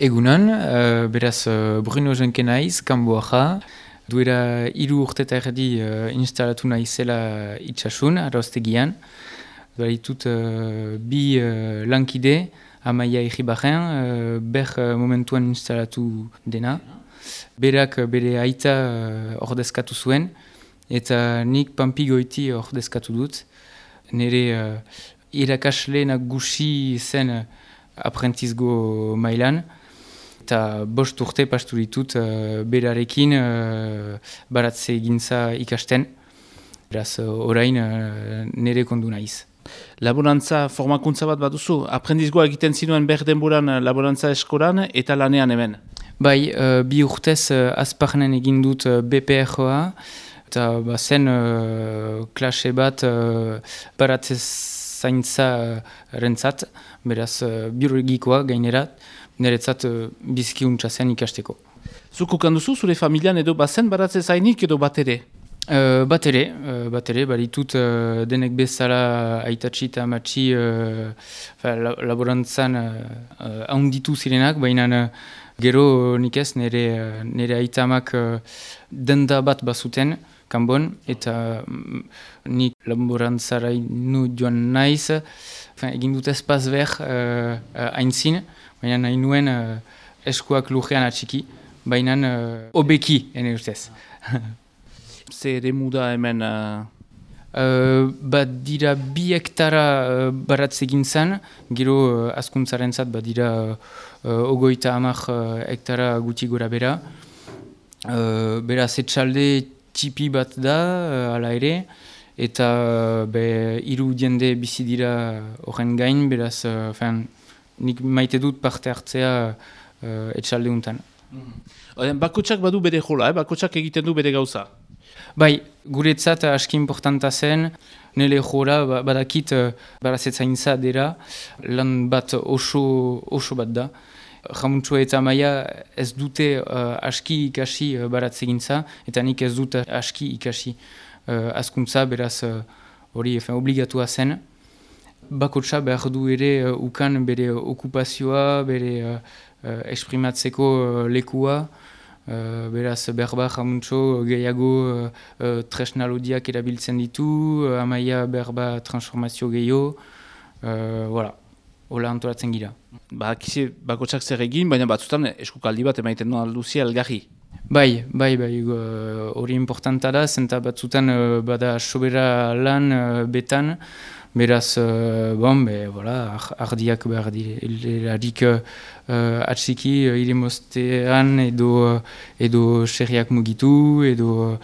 Egunon, beraz Bruno Jenke naiz, kanboaja. Duela 3 urte eta erdi instalatu naizela itxasun, arroztegian. Baitut bi lankide, Amaia Iribarren, momentuan instalatu dena. Berak bere aita ordezkatu zuen, eta nik Pampigoiti ordezkatu dut. Nire irakasle nagusi zen aprentizgo mailan, eta 5 urte pastu ditut berarekin baratze gintza ikasten. Beraz, orain nire kondu naiz. Laborantza formakuntza bat baduzu? Aprendizgoa egiten zinuen behar denboran laborantza eskolan eta lanean hemen? Bai, 2 urtez Azparnen egin dut BPR-a, eta zen klase bat baratze zaintza rentzat, beraz biologikoa gainerat, niretzat bizkiuntza zen ikasteko. Zuko kanduzu zure familian edo bazen baratze zainik edo bat ere? Bat ere, baritut denek bezala aitatxi eta amatxi laborantzan haunditu zirenak, baina gero nik ez nire aitamak denda bat bazuten kanbon, eta nik laborantzara inu joan naiz, egin dut espaz behar haintzin, baina nahi nuen eskuak lujean atxiki, baina obeki, ene ustez. Ze ere muda hemen? Dira 2 hektara baratze gintzan, gero askuntzaren zat, dira 30 hektara guti gora bera. Beraz, etxalde txipi bat da, ala ere, eta 3 jende bizi dira horren gain, beraz, nik maite dut parte hartzea etxalde untan. Bakotsak badu bere jola, bakotsak egiten du bere gauza? Bai, guretzat aski importanta zen, nire jora badakit baratzetzaintza dira, lan bat oso bat da. Jamuntsua eta Amaia ez dute aski ikasi baratzegintza, eta nik ez dut aski ikasi askuntza, beraz hori obligatua zen. Bakotsa behar du ere ukan bere okupazioa, bere esprimatzeko lekua, beraz berba jamuntxo gehiago tresnalodiak erabiltzen ditu, Amaia berba transformazio gehiago, hola antolatzen gira. Akize bakotsak zer egin, baina batzutan eskukaldi bat emaiten du alduzia elgarri. Bai, hori importanta da, zenta batzutan bada sobera lan betan, beraz, ardiak behar dirarik atsiki iremostean edo serriak mugitu, edo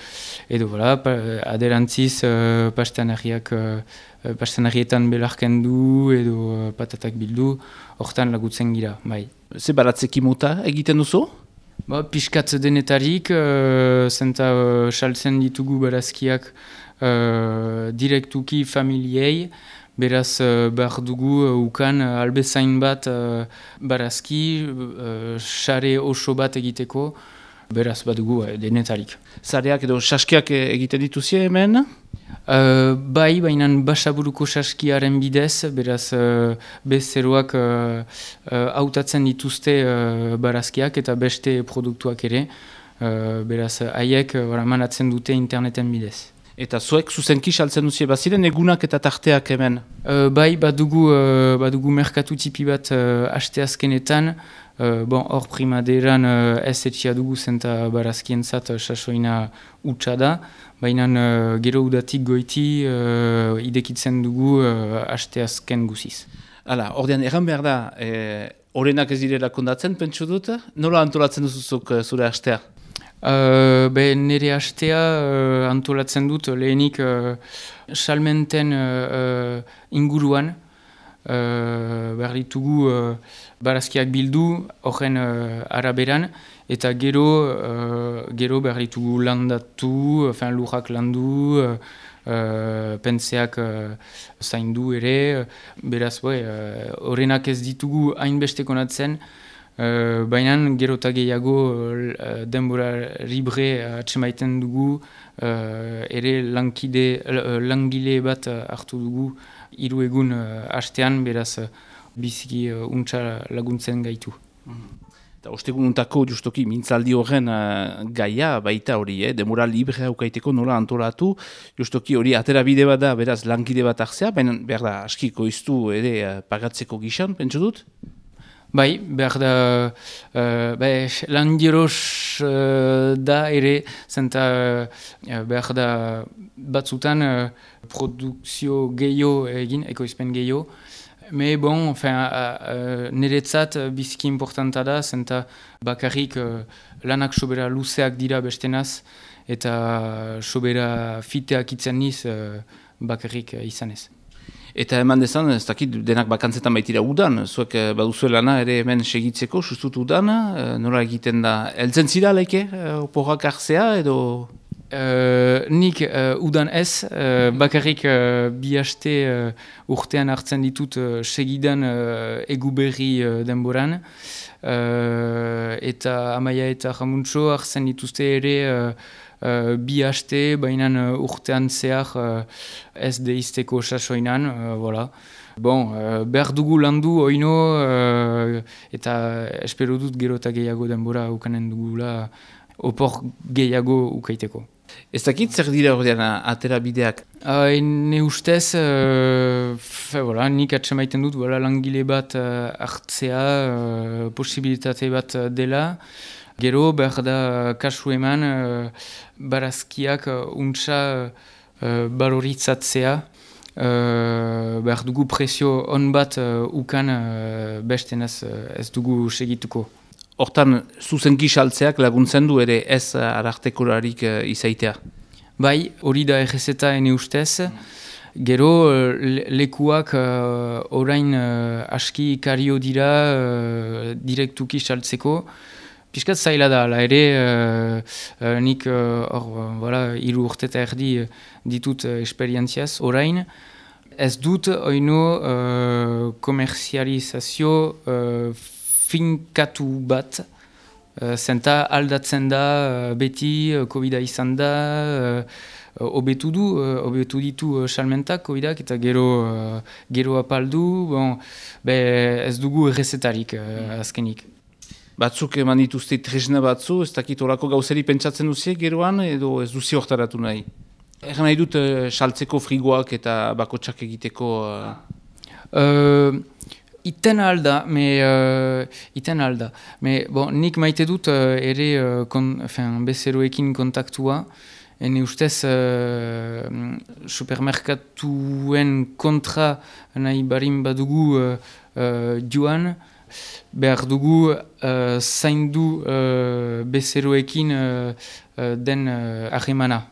aderantziz pastanarietan belarken du, edo patatak bildu, hortan lagutzen gira, bai. Ze baratzeki mota egiten duzu? Piskat denetarik, zenta saltzen ditugu barazkiak direktuki familiei, beraz behar dugu ukan albezain bat barazki, sare oso bat egiteko, beraz badugu denetarik. Zareak edo saskiak egiten dituzie hemen? Bai, baina basaburuko saskiaren bidez, beraz bezeroak hautatzen dituzte barazkiak eta beste produktuak ere, beraz haiek manatzen dute interneten bidez. Eta zuek zuzenki saltzen duzie baziren egunak eta tarteak hemen? Bai, badugu merkatu tipi bat asteazkenetan, hor primaderan ez etxia dugu zenta barazkientzat sasoina utxa da, baina gero udatik goiti idekitzen dugu asteazken guziz. Hala, ordean erran behar da, orenak ez direla kondatzen, pentsu dut, nola antolatzen duzuzuk zure astea? Nire astea antolatzen dut lehenik salmenten inguruan, behar ditugu barazkiak bildu horren araberan, eta gero behar ditugu landatu, lurrak landu, pentseak zaindu ere, beraz horrenak ez ditugu hainbeste konatzen, baina gero eta gehiago denbora libre atsemaiten dugu, ere langile bat hartu dugu 3 egun hastean, beraz biziki untsa laguntzen gaitu. Eta ostegununtako justoki mintzaldi horren gaia baita hori, demora librea ukaiteko nola antolatu, justoki hori atera bide bat da, beraz lankide bat hartzea, baina behar da askiko iztu ere pagatzeko gizan, pentsu dut? Bai, behar da, landiros da ere, zenta behar da batzutan produkzio gehiago egin, ekoizpen gehiago. Me bon, niretzat biziki importanta da, zenta bakarrik lanak sobera luzeak dira bestenaz, eta sobera fiteak itzen niz bakarrik izanez. Eta eman dezan, ez dakit denak bakantzetan baitira udan, zuek baduzue lana ere hemen segitzeko, sustut udan, nola egiten da, eltzen zira laike, oporrak hartzea edo... Nik udan ez, bakarrik bi haste urtean hartzen ditut segidan eguberri denboran, eta Amaia eta Jamuntxo hartzen dituzte ere bi haste, baina urtean zehar ez deizteko sasoinan, voilà. Bon, behar dugu landu oino, eta espero dut gero eta gehiago denbora ukanen dugula opor gehiago ukaiteko. Ez dakit zer dira ordean atera bideak? Ne ustez, nik atsemaiten dut langile bat hartzea, posibilitate bat dela. Gero behar da kasu eman barazkiak untsa baloritzatzea. Behar dugu presio on bat ukan bestenaz ez dugu segituko. Hortan, zuzenki saltzeak laguntzen du ere ez arartekorarik izaitea? Bai, hori da errezeta ene ustez. Gero, lekuak orain aski ikario dira direktuki saltzeko. Piskat zaila da, ala ere, nik hiru urte eta erdi ditut esperientziaz orain. Ez dut oino komerzializazio finkatu bat, zenta aldatzen da beti, COVID-a izan da, hobetu ditu salmentak COVID-ak eta gero apaldu, ez dugu errezetarik azkenik. Batzuk eman dituzte tresna batzu, ez dakit horako gauzeri pentsatzen duziek geroan, edo ez duzi hortaratu nahi? Egan nahi dut saltzeko frigoak eta bakotsak egiteko... Iten alda, nik maite dut ere bezeroekin kontaktua, ene ustez supermerkatuen kontra nahi barin badugu joan, behar dugu zaindu bezeroekin den ahemana.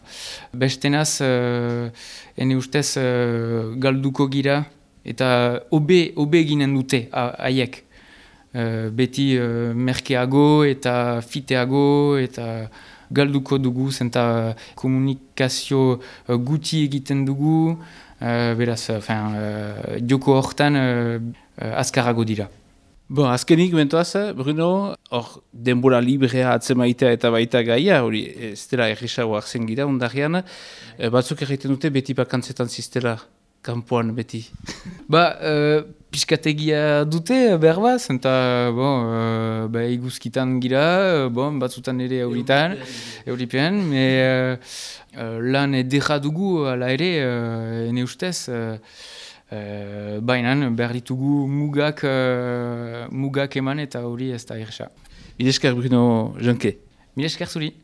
Bestenaz, ene ustez galduko gira, eta obe ginen dute haiek. Beti merkeago eta fiteago eta galduko dugu, zenta komunikazio guti egiten dugu, beraz, joko hortan azkarago dira. Bon, azkenik, bentoaz, Bruno, hor denbora librea atzemaitea eta baita gaia, hori ez dela erresago hartzen gira, ondarean, batzuk erraiten dute beti bakantzetan ziztela. Kampuan beti. Piskategia dute, berba, zenta iguzkitan gira, batzutan ere euripean, lan edera dugu, ala ere, ene ustez, baina behar ditugu mugak eman eta hori ez da erresa. Mil esker, Bruno Janke. Mil esker zuri.